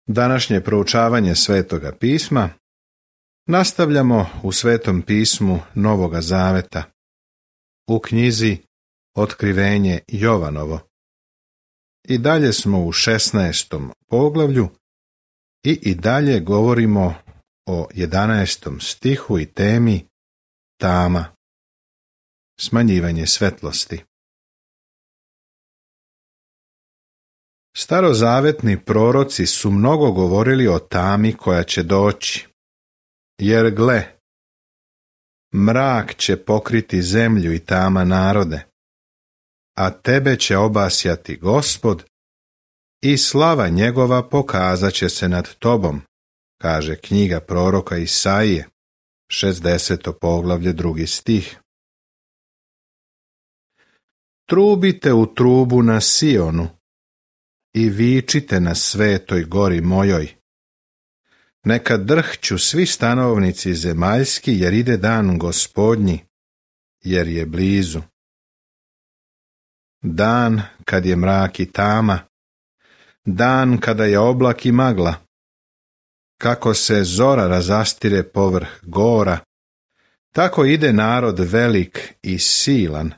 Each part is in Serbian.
Današnje proučavanje Svetoga pisma nastavljamo u Svetom pismu Novoga Zaveta, u knjizi Otkrivenje Jovanovo. I dalje smo u 16. poglavlju i dalje govorimo o 11. stihu i temi tama, smanjivanje svetlosti. Starozavetni proroci su mnogo govorili o tami koja će doći, jer gle, mrak će pokriti zemlju i tama narode, a tebe će obasjati Gospod i slava njegova pokazat će se nad tobom, kaže knjiga proroka Isaije, 60. poglavlje, 2. stih. Trubite u trubu na Sionu i vičite na svetoj gori mojoj. Neka drhću svi stanovnici zemaljski, jer ide dan Gospodnji, jer je blizu. Dan kad je mrak i tama, dan kada je oblak i magla, kako se zora razastire povrh gora, tako ide narod velik i silan,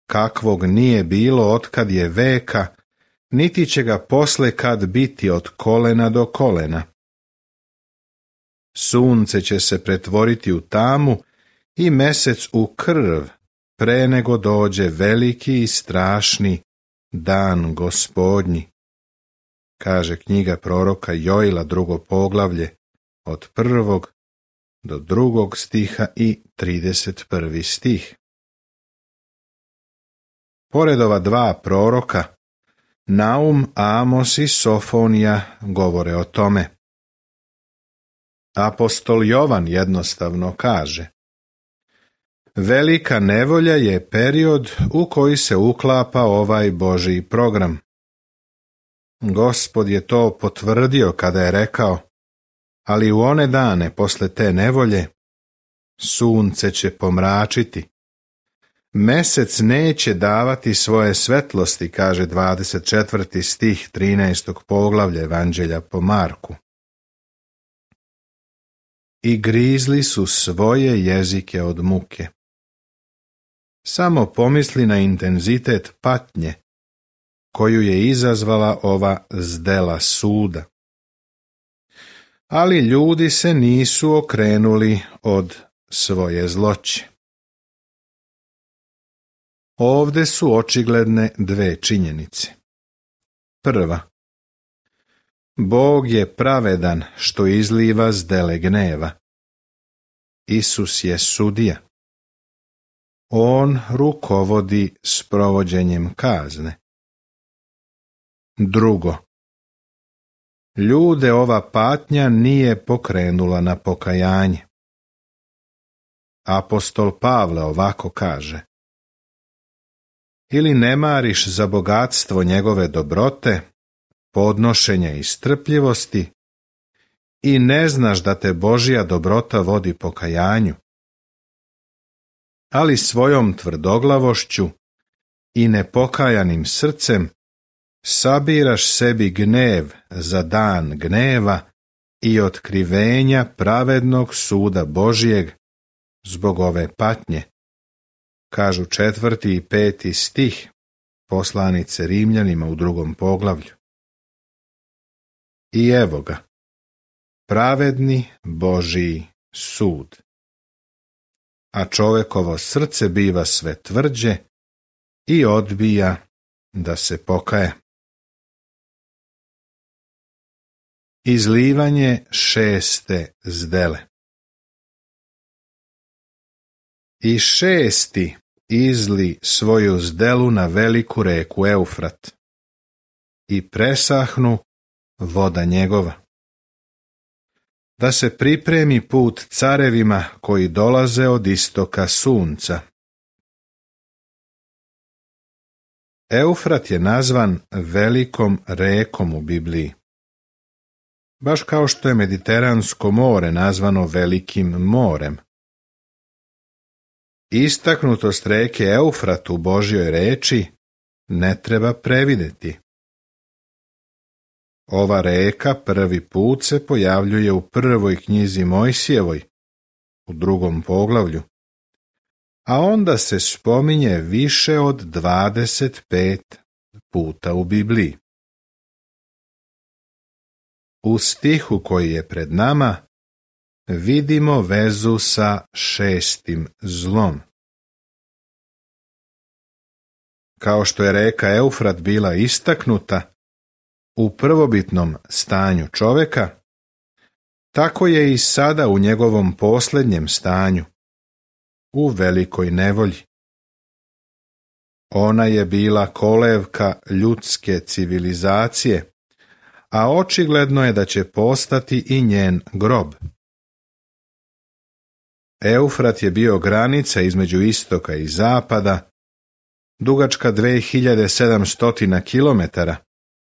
kakvog nije bilo otkad je veka, niti će ga posle kad biti od kolena do kolena. Sunce će se pretvoriti u tamu i mesec u krv, pre nego dođe veliki i strašni dan Gospodnji, kaže knjiga proroka Joila, 2. poglavlje, od 1. do 2. stiha i 31. stih. Pored ova dva proroka, Naum, Amos i Sofonija govore o tome. Apostol Jovan jednostavno kaže: velika nevolja je period u koji se uklapa ovaj Božji program. Gospod je to potvrdio kada je rekao: ali u one dane posle te nevolje sunce će pomračiti, mesec neće davati svoje svetlosti, kaže 24. stih 13. poglavlja Evanđelja po Marku. I grizli su svoje jezike od muke. Samo pomisli na intenzitet patnje koju je izazvala ova zdela suda. Ali ljudi se nisu okrenuli od svoje zloće. Ovde su očigledne dve činjenice. Prva, Bog je pravedan što izliva zdele gneva. Isus je sudija. On rukovodi sprovođenjem kazne. Drugo, ljude ova patnja nije pokrenula na pokajanje. Apostol Pavle ovako kaže: ili ne mariš za bogatstvo njegove dobrote, podnošenja i strpljivosti, i ne znaš da te Božja dobrota vodi pokajanju, ali svojom tvrdoglavošću i nepokajanim srcem sabiraš sebi gnev za dan gneva i otkrivenja pravednog suda Božjeg zbog ove patnje, kažu 4. i 5. stih poslanice Rimljanima u 2. poglavlju. I evo ga, pravedni Božji sud. A čovekovo srce biva sve tvrđe i odbija da se pokaje. Izlivanje 6. zdele. I 6. izli svoju zdelu na veliku reku Eufrat i presahnu voda njegova, da se pripremi put carevima koji dolaze od istoka sunca. Eufrat je nazvan velikom rekom u Bibliji, baš kao što je Mediteransko more nazvano velikim morem. Istaknutost reke Eufrat u Božjoj reči ne treba prevideti. Ova reka prvi put se pojavljuje u prvoj knjizi Mojsijevoj, u 2. poglavlju, a onda se spominje više od 25 puta u Bibliji. U stihu koji je pred nama vidimo vezu sa 6. zlom. Kao što je reka Eufrat bila istaknuta u prvobitnom stanju čoveka, tako je i sada u njegovom posljednjem stanju, u velikoj nevolji. Ona je bila kolevka ljudske civilizacije, a očigledno je da će postati i njen grob. Eufrat je bio granica između istoka i zapada, dugačka 2700 km,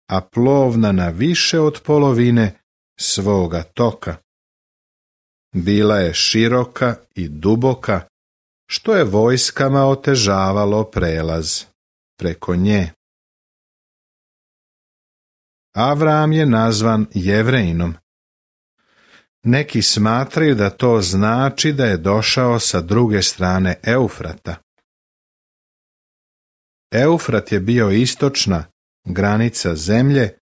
a plovna na više od polovine svoga toka. Bila je široka i duboka, što je vojskama otežavalo prelaz preko nje. Avram je nazvan Jevrejinom. Neki smatraju da to znači da je došao sa druge strane Eufrata. Eufrat je bio istočna granica zemlje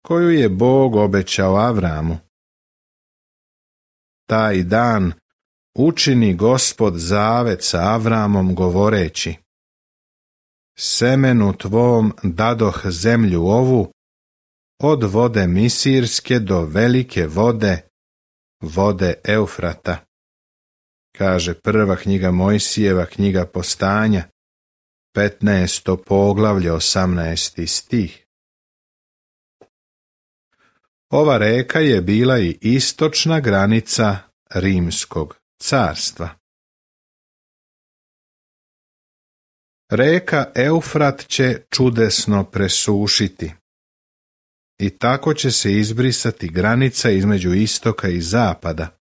koju je Bog obećao Avramu. Taj dan učini Gospod zavet sa Avramom govoreći: semenu tvom dadoh zemlju ovu, od vode Misirske do velike vode, vode Eufrata. Kaže prva knjiga Mojsijeva, knjiga Postanja, 15. poglavlje, 18. stih. Ova reka je bila i istočna granica Rimskog carstva. Reka Eufrat će čudesno presušiti i tako će se izbrisati granica između istoka i zapada,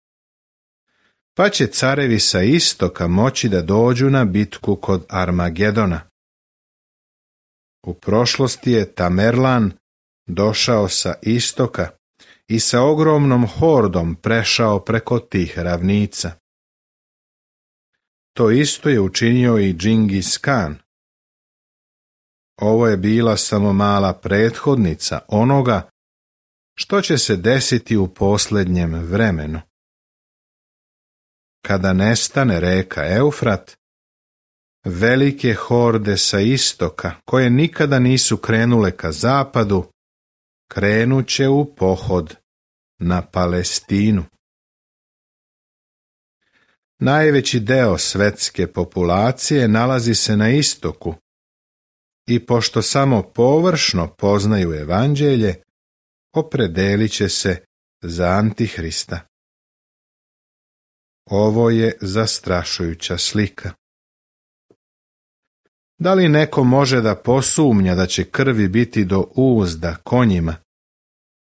pa će carevi sa istoka moći da dođu na bitku kod Armagedona. U prošlosti je Tamerlan došao sa istoka i sa ogromnom hordom prešao preko tih ravnica. To isto je učinio i Džingis Kan. Ovo je bila samo mala prethodnica onoga što će se desiti u posljednjem vremenu. Kada nestane reka Eufrat, velike horde sa istoka, koje nikada nisu krenule ka zapadu, krenuće u pohod na Palestinu. Najveći deo svetske populacije nalazi se na istoku i pošto samo površno poznaju evanđelje, opredelit će se za Antihrista. Ovo je zastrašujuća slika. Da li neko može da posumnja da će krvi biti do uzda konjima,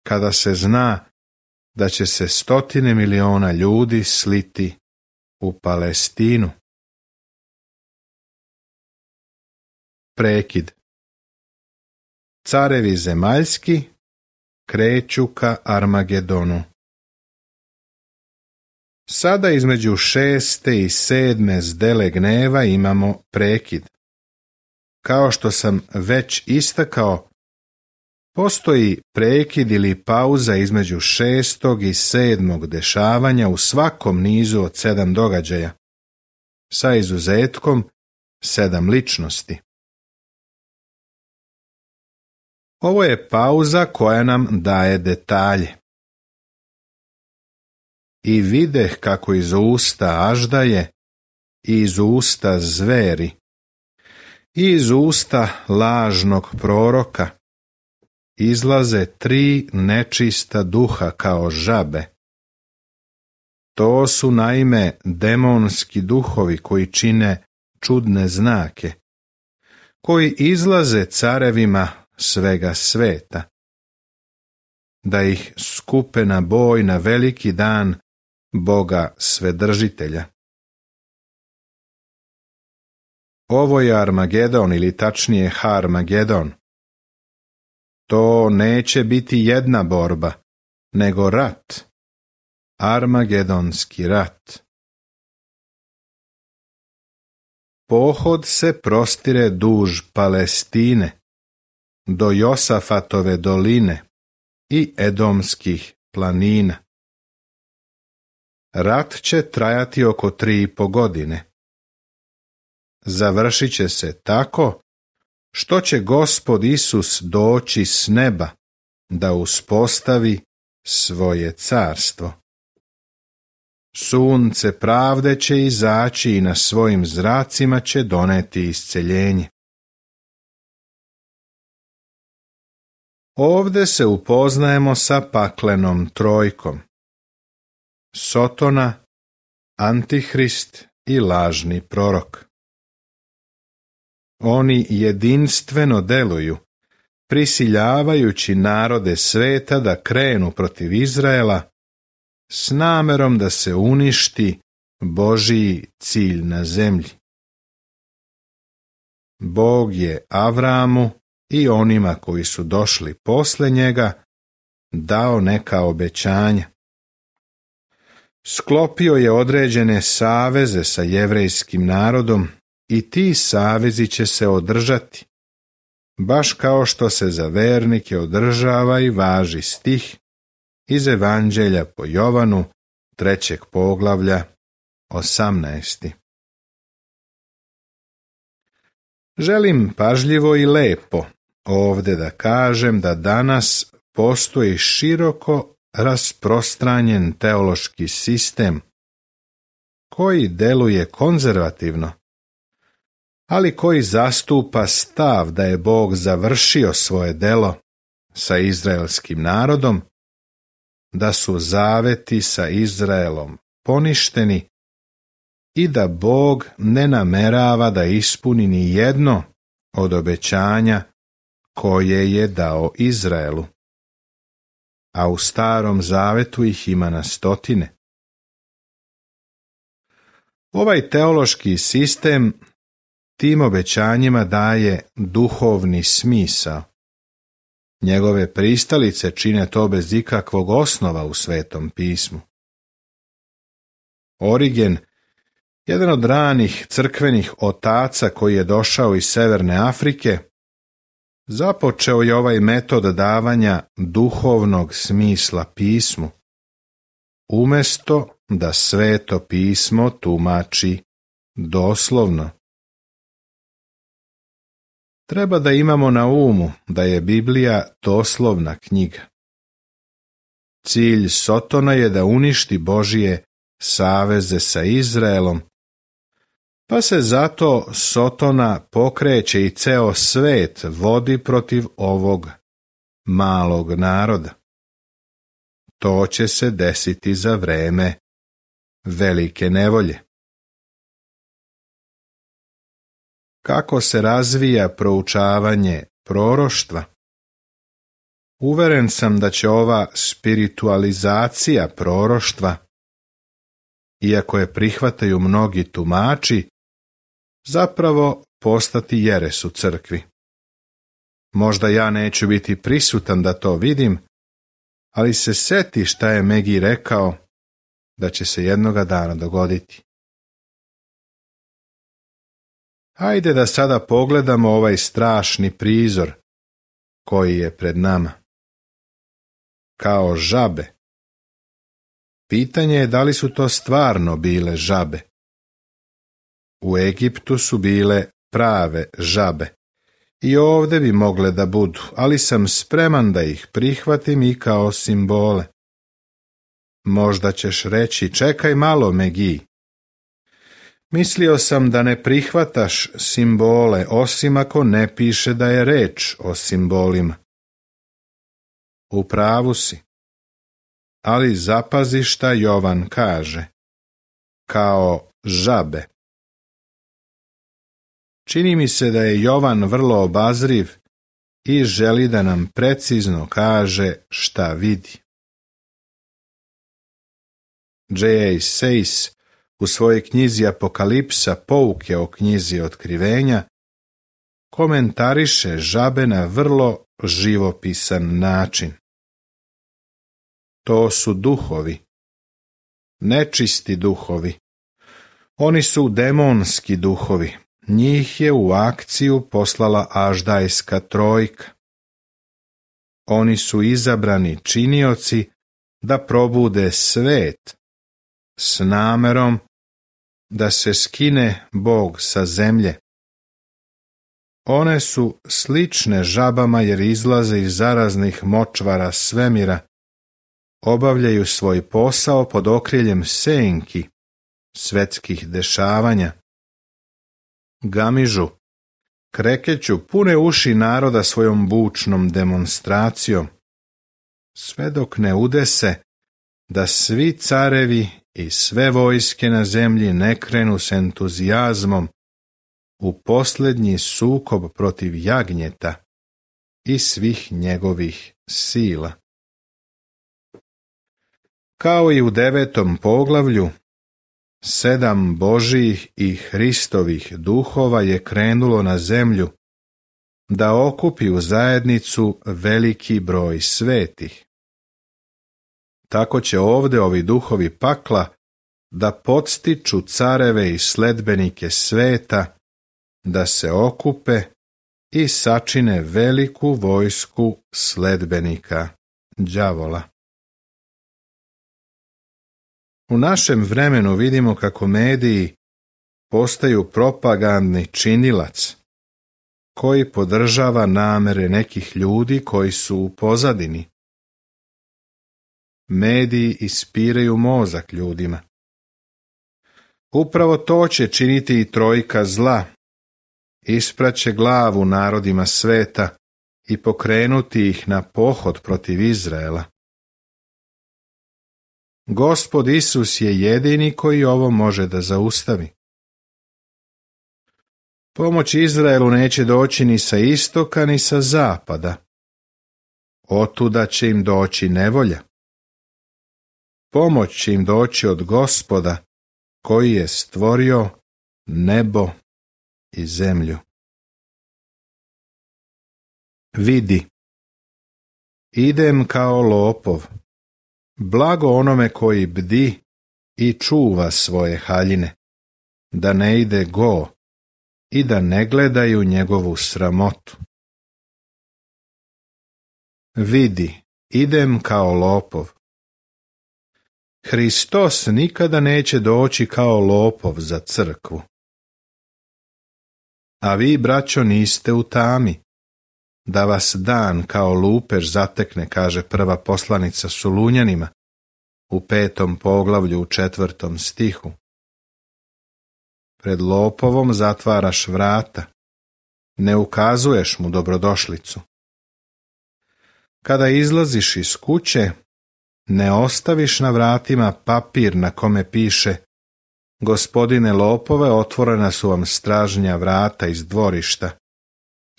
kada se zna da će se 100 miliona ljudi sliti u Palestinu? Prekid. Carevi zemaljski kreću ka Armagedonu. Sada između 6. i 7. zdele gneva imamo prekid. Kao što sam već istakao, postoji prekid ili pauza između 6. i 7. dešavanja u svakom nizu od 7 događaja, sa izuzetkom 7 ličnosti. Ovo je pauza koja nam daje detalje. I videh kako iz usta aždaje, i iz usta zveri, i iz usta lažnog proroka izlaze 3 nečista duha kao žabe. To su naime demonski duhovi koji čine čudne znake, koji izlaze carevima svega sveta, da ih skupe na boj na veliki dan Boga Svedržitelja. Ovo je Armagedon ili tačnije Harmagedon. To neće biti jedna borba, nego rat, Armagedonski rat. Pohod se prostire duž Palestine, do Josafatove doline i Edomskih planina. Rat će trajati oko 3,5 godine. Završit će se tako što će Gospod Isus doći s neba da uspostavi svoje carstvo. Sunce pravde će izaći i na svojim zracima će doneti isceljenje. Ovde se upoznajemo sa paklenom trojkom. Sotona, Antihrist i lažni prorok. Oni jedinstveno deluju, prisiljavajući narode sveta da krenu protiv Izraela s namerom da se uništi Božji cilj na zemlji. Bog je Avramu i onima koji su došli posle njega dao neka obećanja. Sklopio je određene saveze sa jevrejskim narodom i ti savezi će se održati, baš kao što se za vernike održava i važi stih iz Evanđelja po Jovanu, 3. poglavlja, 18. Želim pažljivo i lepo ovde da kažem da danas postoji široko rasprostranjen teološki sistem koji deluje konzervativno, ali koji zastupa stav da je Bog završio svoje delo sa izraelskim narodom, da su zaveti sa Izraelom poništeni i da Bog ne namerava da ispuni ni jedno od obećanja koje je dao Izraelu. A u Starom Zavetu ih ima na stotine. Ovaj teološki sistem tim obećanjima daje duhovni smisao. Njegove pristalice čine to bez ikakvog osnova u Svetom pismu. Origen, jedan od ranih crkvenih otaca koji je došao iz Severne Afrike, započeo je ovaj metod davanja duhovnog smisla pismu, umjesto da Sveto pismo tumači doslovno. Treba da imamo na umu da je Biblija doslovna knjiga. Cilj Sotona je da uništi Božije saveze sa Izraelom, pa se zato Sotona pokreće i ceo svet vodi protiv ovog malog naroda. To će se desiti za vreme velike nevolje. Kako se razvija proučavanje proroštva? Uveren sam da će ova spiritualizacija proroštva, iako je prihvataju mnogi tumači, zapravo postati jeres u crkvi. Možda ja neću biti prisutan da to vidim, ali se seti šta je Megi rekao da će se jednoga dana dogoditi. Hajde da sada pogledamo ovaj strašni prizor koji je pred nama. Kao žabe. Pitanje je da li su to stvarno bile žabe. U Egiptu su bile prave žabe i ovdje bi mogle da budu, ali sam spreman da ih prihvatim i kao simbole. Možda ćeš reći, čekaj malo, Megi. Mislio sam da ne prihvataš simbole, osim ako ne piše da je reč o simbolima. U pravu si, ali zapazi šta Jovan kaže, kao žabe. Čini mi se da je Jovan vrlo obazriv i želi da nam precizno kaže šta vidi. J.A. Sayce u svojoj knjizi Apokalipsa, pouke o knjizi Otkrivenja, komentariše žabe na vrlo živopisan način. To su duhovi, nečisti duhovi. Oni su demonski duhovi. Njih je u akciju poslala aždajska trojka. Oni su izabrani činioci da probude svet s namerom da se skine Bog sa zemlje. One su slične žabama jer izlaze iz zaraznih močvara svemira, obavljaju svoj posao pod okriljem senki svetskih dešavanja. Gamižu, krekeću pune uši naroda svojom bučnom demonstracijom, sve dok ne udese da svi carevi i sve vojske na zemlji ne krenu s entuzijazmom u posljednji sukob protiv jagnjeta i svih njegovih sila. Kao i u 9. poglavlju, 7 Božjih i Hristovih duhova je krenulo na zemlju da okupi u zajednicu veliki broj svetih. Tako će ovdje ovi duhovi pakla da podstiču careve i sledbenike sveta da se okupe i sačine veliku vojsku sledbenika đavola. U našem vremenu vidimo kako mediji postaju propagandni činilac koji podržava namere nekih ljudi koji su u pozadini. Mediji ispiraju mozak ljudima. Upravo to će činiti i trojka zla. Ispraće glavu narodima sveta i pokrenuti ih na pohod protiv Izraela. Gospod Isus je jedini koji ovo može da zaustavi. Pomoć Izraelu neće doći ni sa istoka ni sa zapada. Otuda će im doći nevolja. Pomoć će im doći od Gospoda koji je stvorio nebo i zemlju. Vidi, idem kao lopov. Blago onome koji bdi i čuva svoje haljine, da ne ide go i da ne gledaju njegovu sramotu. Vidi, idem kao lopov. Hristos nikada neće doći kao lopov za crkvu. A vi, braćo, niste u tami, da vas dan kao lupež zatekne, kaže prva poslanica Solunjanima u 5. poglavlju u 4. stihu. Pred lopovom zatvaraš vrata, ne ukazuješ mu dobrodošlicu. Kada izlaziš iz kuće, ne ostaviš na vratima papir na kome piše: Gospodine lopove, otvorena su vam stražnja vrata iz dvorišta.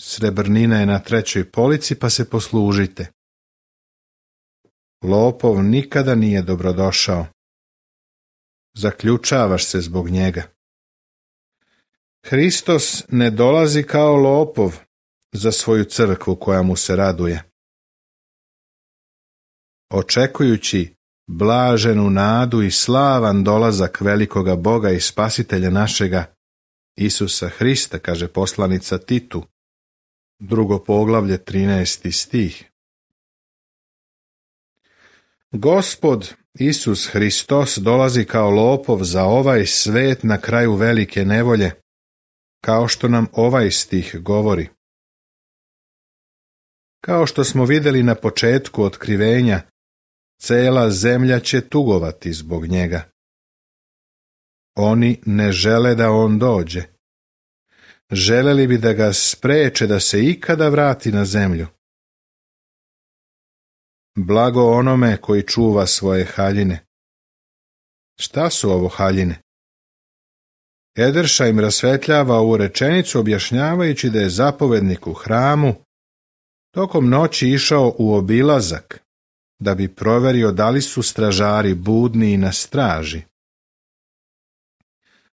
Srebrnina je na 3. polici, pa se poslužite. Lopov nikada nije dobrodošao. Zaključavaš se zbog njega. Hristos ne dolazi kao lopov za svoju crkvu koja mu se raduje. Očekujući blaženu nadu i slavan dolazak velikoga Boga i Spasitelja našega, Isusa Hrista, kaže poslanica Titu, 2. poglavlje, 13. stih. Gospod Isus Hristos dolazi kao lopov za ovaj svet na kraju velike nevolje, kao što nam ovaj stih govori. Kao što smo vidjeli na početku otkrivenja, cela zemlja će tugovati zbog njega. Oni ne žele da on dođe. Želeli bi da ga spreče da se ikada vrati na zemlju. Blago onome koji čuva svoje haljine. Šta su ovo haljine? Ederša im rasvetljava ovu rečenicu objašnjavajući da je zapovednik u hramu tokom noći išao u obilazak da bi proverio da li su stražari budni i na straži.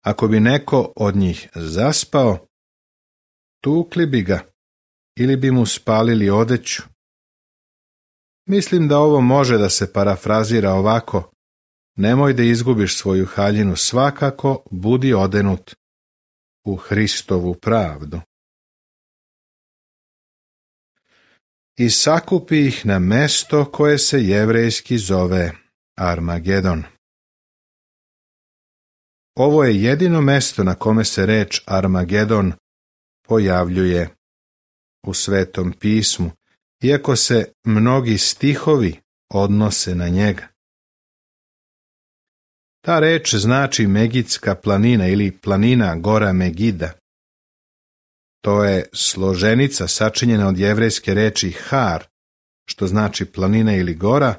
Ako bi neko od njih zaspao, tukli bi ga ili bi mu spalili odeću. Mislim da ovo može da se parafrazira ovako: nemoj da izgubiš svoju haljinu, svakako budi odenut u Hristovu pravdu. I sakupi ih na mesto koje se jevrejski zove Armagedon. Ovo je jedino mesto na kome se reč Armagedon pojavljuje u Svetom pismu, iako se mnogi stihovi odnose na njega. Ta reč znači Megidska planina ili planina gora Megida. To je složenica sačinjena od jevrejske reči Har, što znači planina ili gora,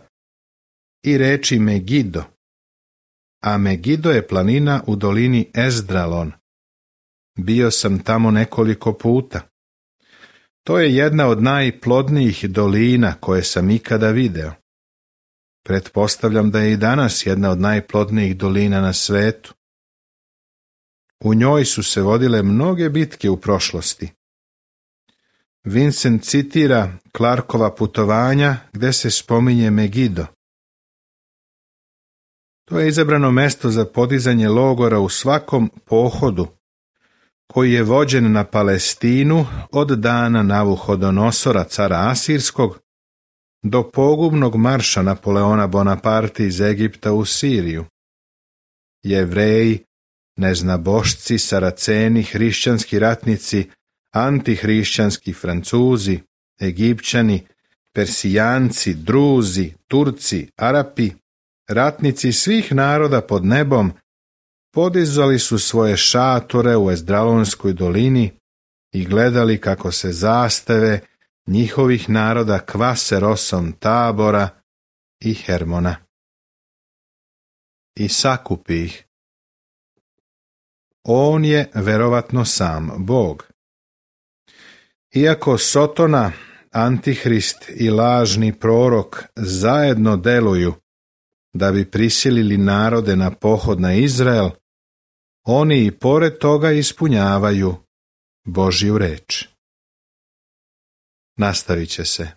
i reči Megido. A Megido je planina u dolini Ezdralon. Bio sam tamo nekoliko puta. To je jedna od najplodnijih dolina koje sam ikada video. Pretpostavljam da je i danas jedna od najplodnijih dolina na svetu. U njoj su se vodile mnoge bitke u prošlosti. Vincent citira Clarkova putovanja gde se spominje Megido. To je izabrano mesto za podizanje logora u svakom pohodu koji je vođen na Palestinu od dana Navuhodonosora, cara Asirskog, do pogubnog marša Napoleona Bonaparte iz Egipta u Siriju. Jevreji, neznabošci, Saraceni, hrišćanski ratnici, antihrišćanski Francuzi, Egipćani, Persijanci, Druzi, Turci, Arapi, ratnici svih naroda pod nebom podizali su svoje šatore u Ezdralonskoj dolini i gledali kako se zastave njihovih naroda kvase rosom Tabora i Hermona. I sakupi ih. On je verovatno sam Bog. Iako Sotona, Antihrist i lažni prorok zajedno deluju da bi prisilili narode na pohod na Izrael, oni i pored toga ispunjavaju Božju reč. Nastavit će se.